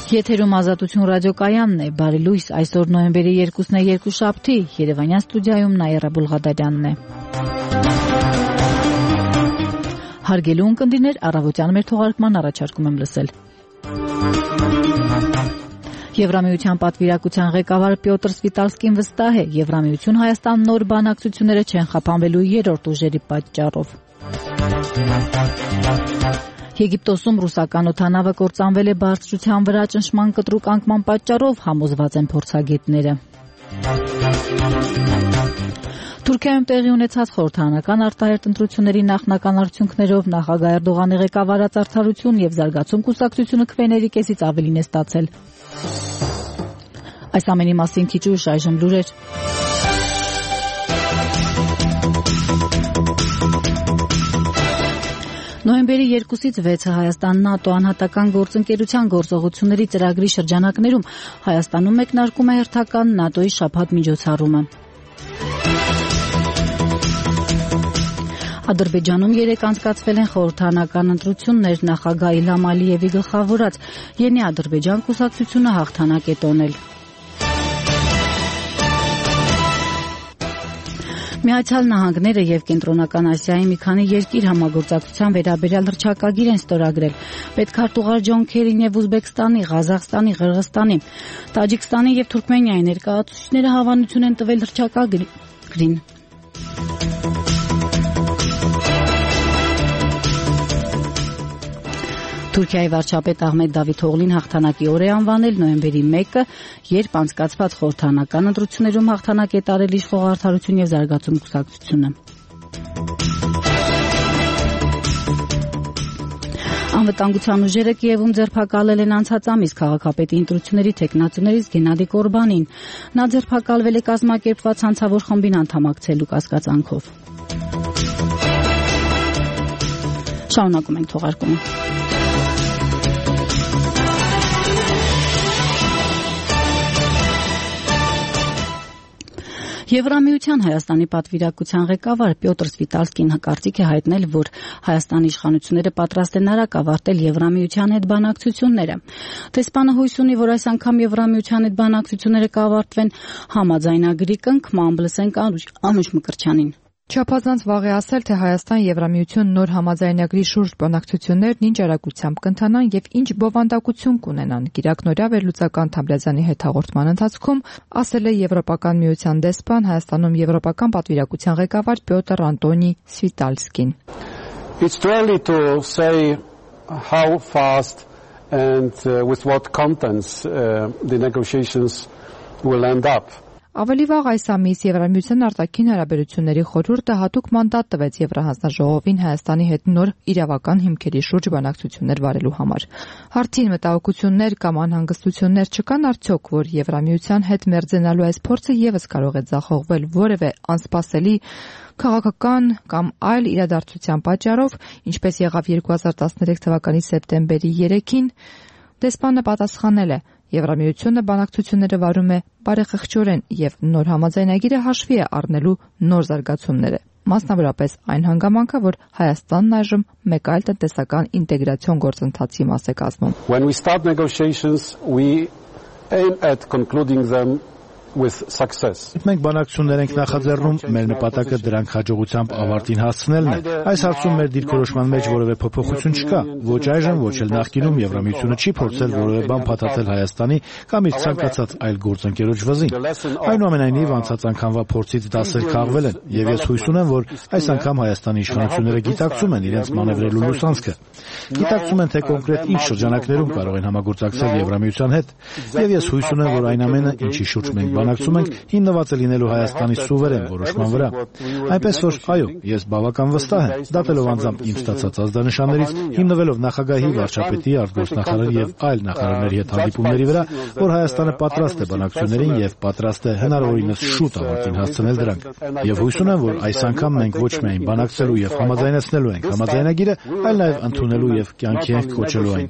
Եթերում Ազատություն ռադիոկայանն է, բարի լույս, այսօր նոյեմբերի 2-ն է, երկուշաբթի, Երևանյան ստուդիայում Նաիրա Բուլղադարյանն է։ Հարգելի ունկնդիրներ, առավոտյան մեր թողարկման առաջարկում եմ լսել։ Եվրամիության պատվիրակության ղեկավար Պյոտր Սվիտալսկին վստահ է, Եվրամիություն Հայաստան նոր բանակցությունները չեն խափանվելու երրորդ ուժերի պատճառով։ Եգիպտոսում ռուսական օդանավը կործանվել է բարձրության վրա ճնշման կտրուկ անկման պատճառով, համոզված են փորձագետները։ Թուրքիայում տեղի ունեցած խորհրդարանական արտահերթ ընտրությունների նախնական արդյունքներով նախագահ Էրդողանի ղեկավարած Արդարություն եւ Զարգացում կուսակցությունը քվեների կեսից ավելին է ստացել։ Այս ամենի մասին քիչ ուշ այժմ լուրեր։ Նոյեմբերի 2-ից 6-ը Հայաստան-ՆԱՏՕ անհատական գործընկերության գործողությունների ծրագրի շրջանակներում Հայաստանում մեկնարկում է հերթական ՆԱՏՕ-ի շաբաթ միջոցառումը։ Ադրբեջանում 3 անցկացվել են խորհրդարանական ընտրություններ, նախագահ Իլհամ Ալիևի գլխավորած Յենի Ադրբեջան կուսակցությունը հաղթանակ է տոնել։ Միացյալ Նահանգները եւ Կենտրոնական Ասիայի մի քանի երկիր համագործակցության վերաբերյալ հռչակագիր են ստորագրել։ Պետքարտուղար Ջոն Քերին եւ Ուզբեկստանի, Ղազախստանի, Ղրղստանի, Տաջիկստանի եւ Թուրքմենիայի ներկայացուցիչները հավանություն են տվել հռչակագրին։ Թուրքիայի վարչապետ Ահմեդ Դավիթօղլին հաղթանակի օր է անվանել նոյեմբերի 1-ը, երբ անցկացված խորհրդարանական ընտրություններում հաղթանակ է տարել իշխող Արդարություն եւ Զարգացում կուսակցությունը։ Անվտանգության ուժերը Կիևում ձերբակալել են անցած ամիս քաղաքապետի ընտրությունների թեկնածուներից Գենադի Կորբանին։ Նա ձերբակալվել է կազմակերպված հանցավոր խմբին անդամակցելու կասկածանքով։ Շարունակում ենք թողարկումը։ Եվրամիության Հայաստանի պատվիրակության ղեկավար Պյոտր Սվիտալսկին կարծիք է հայտնել, որ Հայաստանի իշխանությունները պատրաստ են արագ ավարտել Եվրամիության հետ բանակցությունները։ Դեսպանը հույս ունի, որ այս անգամ Եվրամիության հետ բանակցությունները կավարտվեն համաձայնագրի կնքմամբ, լսենք Անուշ Մկրտչյանին։ Չափազանց վաղ է ասել, թե Հայաստան-Եվրամիություն նոր համաձայնագրի շուրջ բանակցություններն ինչ արագությամբ կընթանան եւ ինչ բովանդակություն կունենան։ Կիրակնօրյա վերլուծական Թամրազյանի հետ հաղորդման ընթացքում ասել է Եվրոպական միության դեսպան Հայաստանում Եվրոպական պատվիրակության ղեկավար Պյոտր Անտոնի Սվիտալսկին։ It's too early to say how fast and with what contents the negotiations will end up. Ավելի վաղ այս ամիս Եվրամիության արտաքին հարաբերությունների խորհուրդը հատուկ մանդատ տվեց Եվրահանձնաժողովին Հայաստանի հետ նոր իրավական հիմքերի շուրջ բանակցություններ վարելու համար։ Հարցին մտահոգություններ կամ անհանգստություններ չկան արդյոք, որ Եվրամիության հետ մերձենալու այս փորձը եւս կարող է ձախողվել որևէ անսպասելի քաղաքական կամ այլ իրադարձության պատճառով, ինչպես եղավ 2013 թվականի սեպտեմբերի 3-ին, դեսպանը պատասխանել է. Եվրամիությունը բանակցությունները վարում է բարեխղճորեն եւ նոր համաձայնագիրը հաշվի է առնելու նոր զարգացումները, մասնավորապես այն հանգամանքը, որ Հայաստանն այժմ մեկ այլ տնտեսական ինտեգրացիոն գործընթացի մաս է կազմում։ When we start negotiations, we aim at concluding them with success. Մենք բանակցություններ ենք նախաձեռնում, մեր նպատակը դրանք հաջողությամբ ավարտին հասցնելն է։ Այս հարցում մեր դիրքորոշման մեջ որևէ փոփոխություն չկա, ոչ այժմ, ոչ էլ նախկինում Եվրամիությունը չի փորձել որևէ բան փաթաթել Հայաստանի կամ իր ցանկացած այլ գործընկերոջ վզին։ Այնուամենայնիվ անցած անգամվա փորձից դասեր քաղվել են, եւ ես հույս ունեմ, որ այս անգամ Հայաստանի իշխանությունները գիտակցում են իրենց մանևրելու լուսանցքը։ Գիտակցում են, թե կոնկրետ ինչ շրջանակներում կարող են համագործակցել Եվրամիության հետ, եւ ես հույս ունեմ, որ այն ամենը, ինչի շուրջ մենք բանակցում ենք, հիմնված է լինելու Հայաստանի սուվերեն որոշման վրա։ Այնպես որ, այո, ես բավական վստահ եմ, դատելով անձամբ իմ ստացած ազդանշաններից, հիմնվելով նախագահի, վարչապետի, արտգործնախարարի եւ այլ նախարարների հետ հանդիպումների վրա, որ Հայաստանը պատրաստ է բանակցություններին եւ պատրաստ է հնարավորինս շուտ ավարտին հասցնել դրանք։ Եվ հույս ունեմ, որ այս անգամ մենք ոչ միայն բանակցելու եւ համաձայնեցնելու ենք համաձայնագիրը, այլ նաեւ ընդունելու եւ կյանքի ենք կոչելու այն։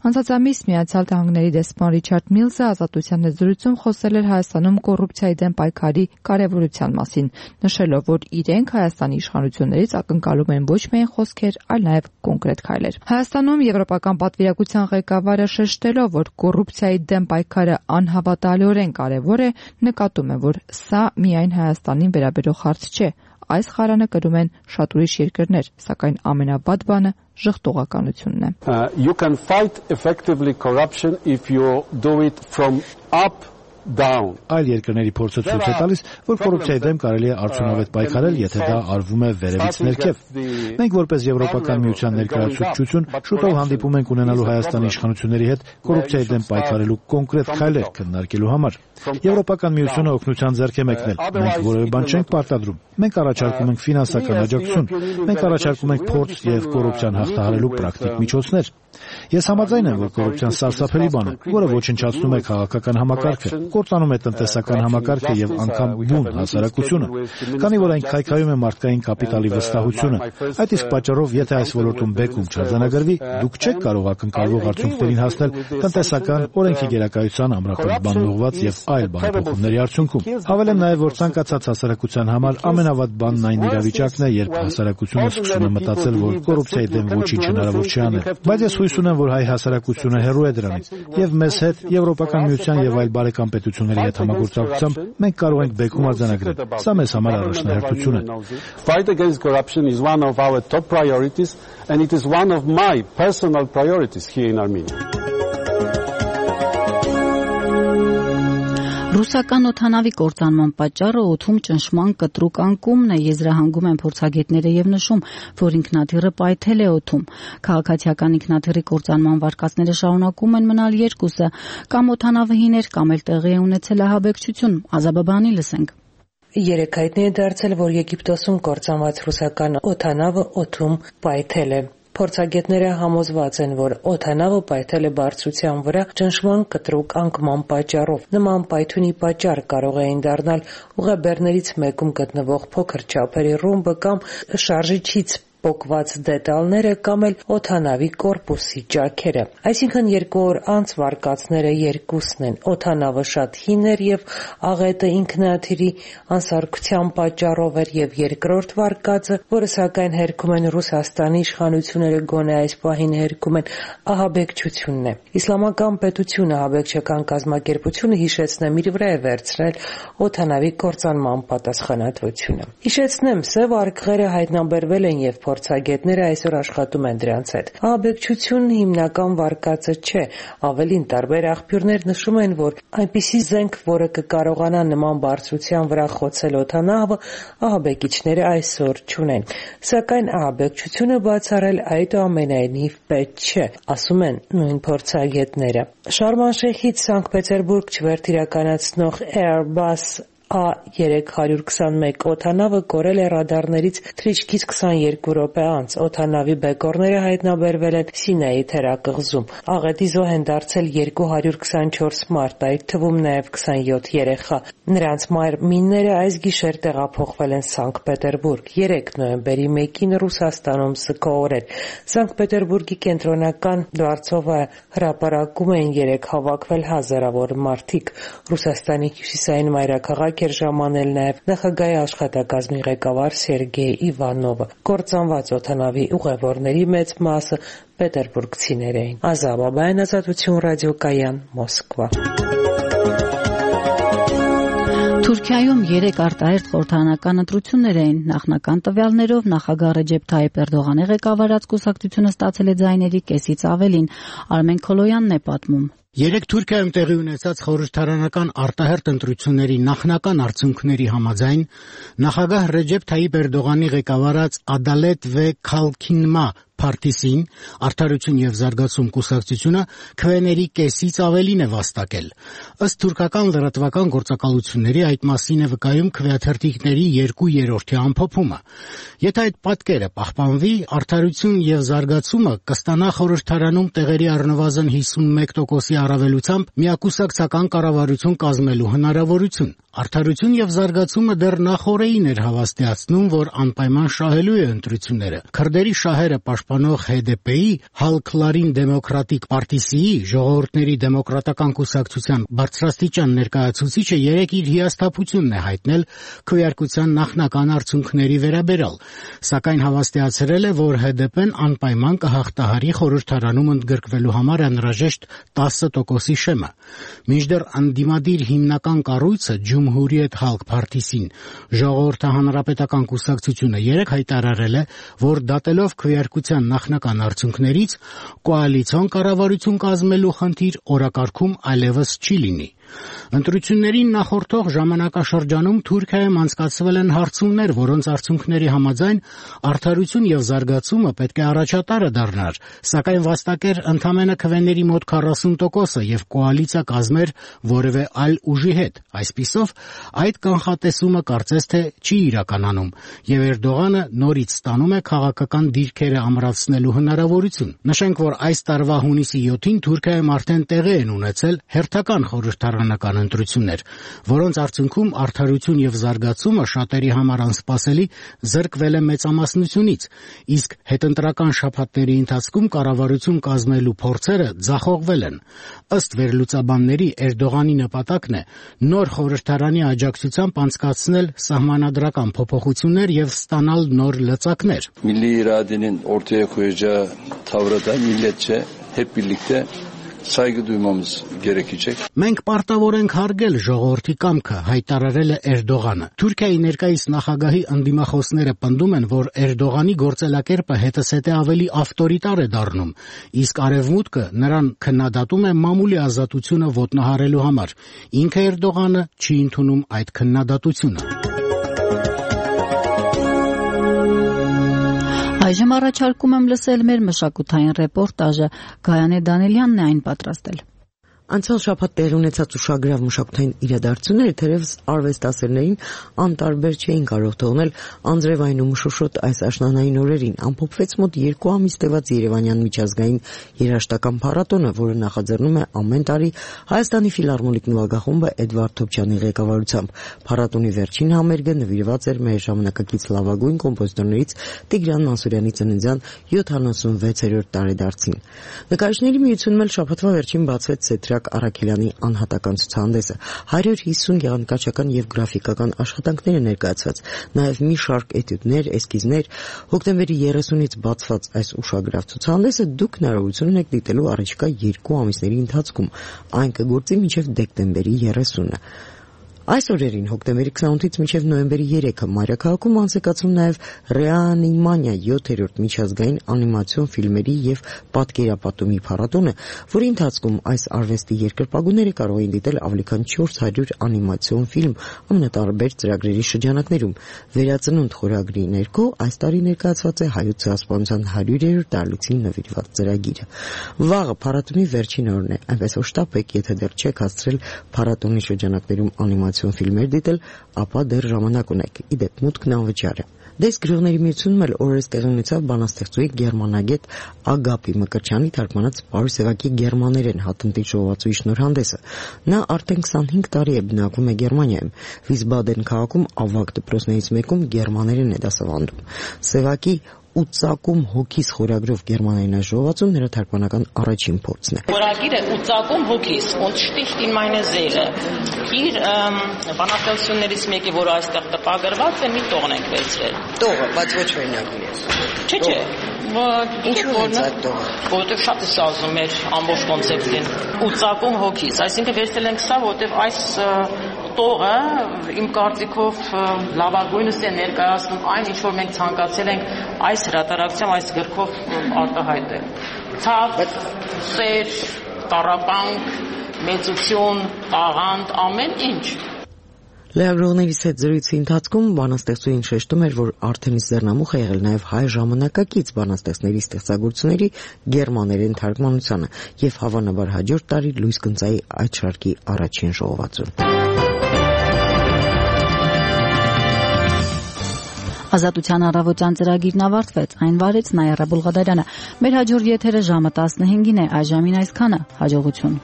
Անցած ամիս Միացյալ Նահանգների դեսպան Ռիչարդ Միլսը ազատության հետ զրույցում խոսել էր Հայաստանում կոռուպցիայի դեմ պայքարի կարևորության մասին, նշելով, որ իրենք Հայաստանի իշխանություններից ակնկալում են ոչ միայն խոսքեր, այլ նաև կոնկրետ քայլեր։ Հայաստանում եվրոպական պատվիրակության ղեկավարը շեշտելով, որ կոռուպցիայի դեմ պայքարը անհավատալիորեն կարևոր է, նկատում է, որ սա միայն Հայաստանին վերաբերող հարց չէ։ Այս խարանը կրում են շատ ուրիշ երկրներ, սակայն ամենավատ բանը ժխտողականությունն է։ You can fight effectively corruption if you do it from up down. Այլ երկրների փորձը ցույց է տալիս, որ կոռուպցիայի դեմ կարելի է արդյունավետ պայքարել, եթե դա արվում է վերևից ներքև։ Մենք որպես Եվրոպական միության ներկայացուցչություն շուտով հանդիպում ենք ունենալու Հայաստանի իշխանությունների հետ կոռուպցիայի դեմ պայքարելու կոնկրետ քայլեր քննարկելու համար։ Եվրոպական միությունը օգնության ձեռք է մեկնել։ Մենք որևէ բան չենք պարտադրում։ Մենք առաջարկում ենք ֆինանսական աջակցություն։ Մենք առաջարկում ենք փորձ եւ կոռուպցիան հաղթահարելու պրակտիկ միջոցներ։ Ես համաձայն եմ, որ կոռուպցիան սարսափելի բան է, որը ոչնչացնում է քաղաքական համակարգը, կործանում է տնտեսական համակարգը եւ անգամ բուն հասարակությունը, քանի որ այն քայքայում է մարդկային կապիտալի վստահությունը։ Այդ իսկ պատճառով, եթե այս ոլորտում բեկում չարձանագրվի, դուք չեք կարող ակնկալվող արդյունքներին հասնել տնտեսական, օրենքի գերակայության, ամրապնդված բանողված եւ այլ բանափոխումների արդյունքում։ Հավելեմ նաեւ, որ ցանկացած հասարակության համար ամենավատ բանն այն իրավիճակն է, երբ հասարակությունը սկսում է մտածել, որ կոռուպցիայի դեմ ոչինչ հնարավոր չի անել։ Բայց ես հույս ունեմ, որ հայ հասարակությունը հեռու է դրանից, եւ մեզ հետ, Եվրոպական միության եւ այլ բարեկամ պետությունների հետ համագործակցությամբ մենք կարող ենք բեկում արձանագրել։ Սա մեզ համար առաջնահերթություն է։ Fight against corruption is one of our top priorities and it is one of my personal priorities here in Armenia. Ռուսական օդանավի կործանման պատճառը օդում ճնշման կտրուկ անկումն է, եզրահանգում են փորձագետները եւ նշում, որ ինքնաթիռը պայթել է օդում։ Քաղաքացիական ինքնաթիռի կործանման վարկածները շարունակում են մնալ երկուսը, կամ օդանավը հիներ, կամ էլ տեղի է ունեցել ահաբեկչություն։ Ազաբաբանի լսենք։ Երեկ հայտնի է դարձել, որ Եգիպտոսում կործանված ռուսական օդանավը օդում պայթել է։ Փորձագետները համոզված են, որ օդանավը պայթել է բարձրության վրա ճնշման կտրուկ անկման պատճառով։ Նման պայթյունի պատճառ կարող էին դառնալ ուղեբեռներից մեկում գտնվող փոքր չափերի ռումբը կամ շարժիչից պոկված դետալները կամ էլ օդանավի կորպուսի ճաքերը։ Այսինքն 2 օր անց վարկածները երկուսն են։ Օդանավը շատ հին էր եւ աղետը ինքնաթիռի անսարքության պատճառով էր եւ երկրորդ վարկածը, որը սակայն հերքում են Ռուսաստանի իշխանությունները, գոնե այս պահին հերքում են, ահաբեկչությունն է։ Իսլամական պետությունը ահաբեկչական կազմակերպությունը հիշեցնեմ իր վրա է վերցրել օդանավի կործանման պատասխանատվությունը։ Հիշեցնեմ, սև արկղերը հայտնաբերվել են եւ փորձագետները այսօր աշխատում են դրանց հետ։ Ահաբեկչությունն հիմնական վարկածը չէ, ավելին տարբեր աղբյուրներ նշում են, որ այնպիսի զենք, որը կկարողանա նման բարձրության վրա խոցել օդանավը, ահաբեկիչները այսօր չունեն։ Սակայն ահաբեկչությունը բացառել այդուամենայնիվ պետք չէ, ասում են նույն փորձագետները։ Շարմանշեհից Սանկտ Պետերբուրգ չվերթիրականացնող Airbus A321 օդանավը կորել է ռադարներից թռիչքից 22 րոպե անց։ Օդանավի բեկորները հայտնաբերվել են Սինայի թերակղզում։ Աղետի զոհ են դարձել 224 մարդ, այդ թվում նաև 27 երեխա։ Նրանց մարմինները այս գիշեր տեղափոխվել են Սանկտ Պետերբուրգ։ 3 նոյեմբերի 1-ին Ռուսաստանում զքոր էր։ Սանկտ Պետերբուրգի կենտրոնական դարձովը հրապարակում էին 3 հավաքվել հազարավոր մարդիկ։ Ռուսաստանի հյուսիսային մայրաքաղաք էր ժամանել նաև նախագահի աշխատակազմի ղեկավար Սերգեյ Իվանովը։ Կործանված օդանավի ուղևորների մեծ մասը պետերբուրգցիներ էին։ Ազաբաբյան, Ազատություն ռադիոկայան, Մոսկվա։ Թուրքիայում 3 արտահերթ խորհրդարանական ընտրություններ էին։ Նախնական տվյալներով նախագահ Ռեջեփ Թայիփ Էրդողանի ղեկավարած կուսակցությունը ստացել է ձայների կեսից ավելին։ Արմեն Քոլոյանն է պատմում։ 3 Թուրքիայում տեղի ունեցած խորհրդարանական արտահերթ ընտրությունների նախնական արդյունքների համաձայն նախագահ Ռեջեփ Թայիփ Էրդողանի ղեկավարած Ադալետ վե Քալքինմա Փարտիսին Արդարություն եւ զարգացում կուսակցությունը քվեների կեսից ավելին է վաստակել։ Ըստ թուրքական լրատվական գործակալությունների այդ մասին է վկայում քվեաթերթիկների 2/3 ամփոփումը։ Եթե այդ պատկերը պահպանվի, Արդարություն եւ զարգացումը կստանա խորհրդարանում տեղերի առնվազն 51% առավելությամբ միակուսակցական կառավարություն կազմելու հնարավորություն։ Արդարություն եւ զարգացումը դեռ նախորդին էր հավաստիացնում, որ անպայման շահելու է ընտրությունները։ Քրդերի շահերը պաշտպանող HDP-ի, Հալքլարին դեմոկրատիկ պարտիսիի, ժողովուրդների դեմոկրատական կուսակցության բարձրաստիճան ներկայացուցիչը երեկ իր հիասթափությունն է հայտնել քվեարկության նախնական արդյունքների վերաբերյալ, սակայն հավաստիացրել է, որ HDP-ն անպայման կհաղթահարի խորհրդարանում ընդգրկվելու համար անհրաժեշտ 10% շեմը։ Մինչդեռ անդիմադիր հիմնական կառույցը Ջումհուրիետ Խալք Փարթիսին, ժողովրդի հանրապետական կուսակցությունը երեկ հայտարարել է, որ դատելով քվեարկության նախնական արդյունքներից կոալիցիոն կառավարություն կազմելու խնդիր օրակարգում այլևս չի լինի։ Ընտրություններին նախորդող ժամանակաշրջանում Թուրքիայում անցկացվել են հարցումներ, որոնց արդյունքների համաձայն արդարություն եւ զարգացումը պետք է առաջատարը դառնար, սակայն վաստակեր ընդամենը քվեների մոտ 40%-ը եւ կոալիցիա կազմեր որևէ այլ ուժի հետ։ Այսպիսով, այդ կանխատեսումը կարծես թե չի իրականանում եւ Էրդողանը նորից ստանում է քաղաքական դիրքերը ամրացնելու հնարավորություն։ Նշենք, որ այս տարվա հունիսի 7-ին Թուրքիայում արդեն տեղի են ունեցել հերթական խորհրդարանական ընտրություններ, որոնց արդյունքում արդարություն եւ զարգացումը շատերի համար անսպասելի զրկվել է մեծամասնությունից, իսկ հետընտրական շաբաթների ընթացքում կառավարություն կազմելու փորձերը ձախողվել են։ Ըստ վերլուծաբանների, Էրդողանի նպատակն է նոր խորհրդարանի աջակցությամբ անցկացնել սահմանադրական փոփոխություններ եւ ստանալ նոր լծակներ։ Milli iradenin ortaya koyacağı tavrı da milletçe hep birlikte saygı duymamız gerekecek. Մենք պարտավոր ենք հարգել ժողովրդի կամքը, հայտարարել է Էրդողանը։ Թուրքիայի ներկայիս նախագահի ընդդիմախոսները պնդում են, որ Էրդողանի գործելակերպը հետզհետե ավելի ավտորիտար է դառնում, իսկ Արևմուտքը նրան քննադատում է մամուլի ազատությունը ոտնահարելու համար։ Ինքը Էրդողանը չի ընդունում այդ քննադատությունը։ Այժմ առաջարկում եմ լսել մեր մշակութային ռեպորտաժը։ Գայանե Դանելյանն է այն պատրաստել։ Անցյալ շաբաթ տեղի ունեցած ուշագրավ մշակութային իրադարձությունները թերևս արվեստասերներին անտարբեր չէին կարող թողնել անձրևային ու մշուշոտ այս աշնանային օրերին։ Ամփոփվեց մոտ 2 ամիս տևած Երևանյան միջազգային երաժշտական փառատոնը, որը նախաձեռնում է ամեն տարի Հայաստանի ֆիլհարմոնիկ նվագախումբը Էդվարդ Թոփչյանի ղեկավարությամբ։ Փառատոնի վերջին համերգը նվիրված էր մեր ժամանակակից լավագույն կոմպոզիտորներից Տիգրան Մանսուրյանի ծննդյան 76-րդ տարեդարձին։ Նկարիչների միությունում էլ շաբաթվա վերջին բացվեց Սեդրակ Առաքելյանի անհատական ցուցահանդեսը 150 գեղանկարչական եւ գրաֆիկական աշխատանքներ են ներկայացված, նաեւ մի շարք էտյուդներ, էսկիզներ։ Հոկտեմբերի 30-ից բացված այս ուշագրավ ցուցահանդեսը դուք հնարավորություն ունեք դիտելու առաջիկա 2 ամիսների ընթացքում, այն կգործի մինչեւ դեկտեմբերի 30-ը։ Այս օրերին հոկտեմբերի 28-ից մինչև նոյեմբերի 3-ը Մայրաքաղաքում անցկացվում նաև Ռեանիմանիա 7-րդ միջազգային անիմացիոն ֆիլմերի եւ պատկերապատումի փառատոնը, որի ընթացքում այս արվեստի երկրպագուները կարող են դիտել ավելի քան 400 անիմացիոն ֆիլմ ամենատարբեր ծրագրերի շրջանակներում։ Վերածնունդ խորագրի ներքո այս տարի ներկայացված է Հայոց ցեղասպանության 100-րդ տարելիցին նվիրված ծրագիրը։ Վաղը փառատոնի վերջին օրն է, այնպես որ շտապ եք, եթե դեռ չեք հասցրել փառատոնի շրջանակներում անիմացիոն ֆիլմեր դիտել, ապա դեռ ժամանակ ունեք։ Իդեպ մուտքն անվճար է։ Դες գրողների միությունում էլ օրերս տեղի ունեցավ բանաստեղծուի գերմանագետ Ագապի Մկրտչյանի թարգմանած Պարուս Սևակի գերմաներեն հատնտի ժողովածուի շնորհանդեսը։ Նա արդեն 25 տարի է բնակվում է Գերմանիայում։ Վիսբադեն քաղաքում ավագ դպրոցներից մեկում գերմաներեն է դասավանդում։ Սևակի ու ծակում հոգիս խորագրով գերմաներեն ժողովածուն նրա թարգմանական առաջին փորձն է։ Խորագիրը ու ծակում հոգիս und sticht in meine Seele։ Իր բանաստեղծություններից մեկը, որ այստեղ տպագրված է, մի տողն ենք վերցրել։ Տողը, բայց ոչ օրինակն է։ Չէ։ Որտեղ շատ է սազում էր ամբողջ կոնցեպտին ու ծակում հոգիս, այսինքն վերցրել ենք սա, որտեղ այս տողը իմ կարծիքով լավագույնս է ներկայացնում այն, ինչ որ մենք ցանկացել ենք այս հրատարակությամբ, այս գրքով արտահայտել։ Ցավ, սեր, տառապանք, մեծություն, տաղանդ, ամեն ինչ։ Լրագրողներից հետ զրույցի ընթացքում բանաստեղծուհին շեշտում էր, որ արդեն իսկ ձեռնամուխ է եղել նաև հայ ժամանակակից բանաստեղծների ստեղծագործությունների գերմաներեն թարգմանությանը եւ հավանաբար հաջորդ տարի լույս կընծայի այդ շարքի առաջին ժողովածուն։ Ազատության առավոտյան ծրագիրն ավարտվեց, այն վարեց Նայիրա Բուլղադարյանը։ Մեր հաջորդ եթերը ժամը 15-ին է, այժմին այսքանը։ Հաջողություն։